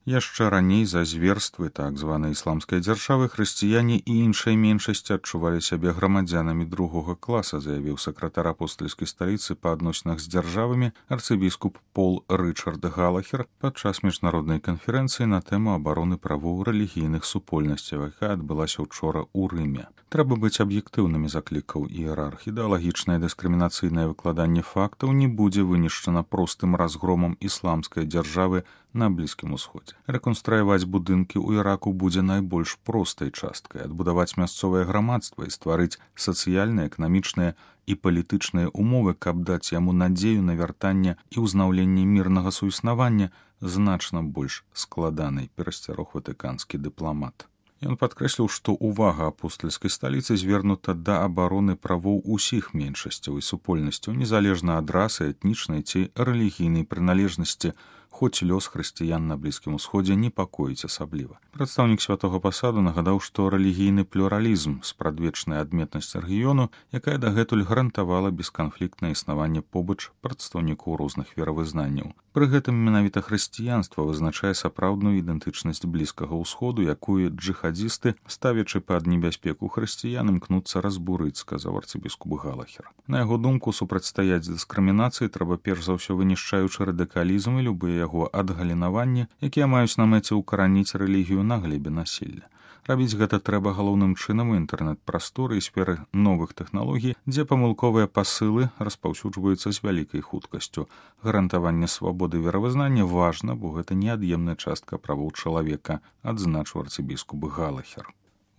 Яшчэ раней за зверствы так званай ісламскай дзяржавы хрысціяне і іншай меншасці адчувалі сябе грамадзянамі другога класа, заявіў сакратар апостальскай сталіцы па адносінах з дзяржавамі арцыбіскуп Пол Рычард Галахер падчас міжнароднай канферэнцыі на тэму абароны правоў рэлігійных супольнасцяў, якая адбылася учора ў Рыме. Трэба быць аб'ектыўнымі, заклікаў іерарх. Ідэалагічнае дыскрымінацыйнае выкладанне фактаў не будзе вынішчана простым разгромам ісламскай дзяржавы на Блізкім Усходзе. Рэканструяваць будынкі ў Іраку будзе найбольш простай часткай, адбудаваць мясцовае грамадства і стварыць сацыяльныя, эканамічныя і палітычныя умовы, каб даць яму надзею на вяртанне і ўзнаўленне мірнага суіснавання, значна больш складанай, перасцярог ватыканскі дыпламат. Ён падкрэсліў, што ўвага апостальскай сталіцы звернута да абароны правоў усіх меншасцяў і супольнасцяў, незалежна ад расы, этнічнай ці рэлігійнай прыналежнасці, хоць лёс хрысціян на Блізкім Усходзе непакоіць асабліва. Прадстаўнік святога пасаду нагадаў, што рэлігійны плюралізм, спрадвечная адметнасць рэгіёну, якая дагэтуль гарантавала бесканфліктнае існаванне побач прадстаўнікоў розных веравызнанняў. Пры гэтым менавіта хрысціянства вызначае сапраўдную ідэнтычнасць Блізкага Ўсходу, якую джыхадзісты, ставячы пад небяспеку хрысціян, імкнуцца разбурыць, сказаў арцыбіскуп Галахер. На яго думку, супрацьстаяць дыскрымінацыі трэба перш за ўсё вынішчаючы радыкалізм і любыя яго адгалінаванні, якія маюць на мэце ўкараніць рэлігію на глебе насілля. Рабіць гэта трэба галоўным чынам у інтэрнэт-прасторы і сферы новых тэхналогій, дзе памылковыя пасылы распаўсюджваюцца з вялікай хуткасцю. Гарантаванне свабоды веравызнання важна, бо гэта неад'емная частка правоў чалавека, адзначыў арцыбіскуп Галахер.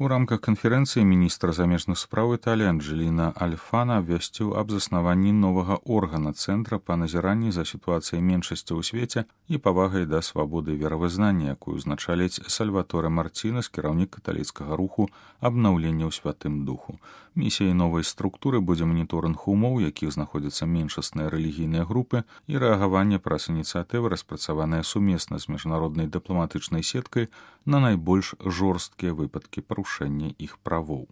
У рамках канферэнцыі міністр замежных спраў Італіі Анджэліна Альфана абвясціў аб заснаванні новага органа цэнтра па назіранні за сітуацыяй меншасцяў у свеце і павагай да свабоды веравызнання, якую узначаліць Сальваторе Марцінес, кіраўнік каталіцкага руху абнаўлення ў святым духу. Місіяй новай структуры будзе маніторынг умоў, у якіх знаходзяцца меншасныя рэлігійныя групы, і рэагаванне праз ініцыятывы, распрацаваныя сумесна з міжнароднай дыпламатычнай сеткай на найбольш жорсткія выпадкі парушэння іх правоў.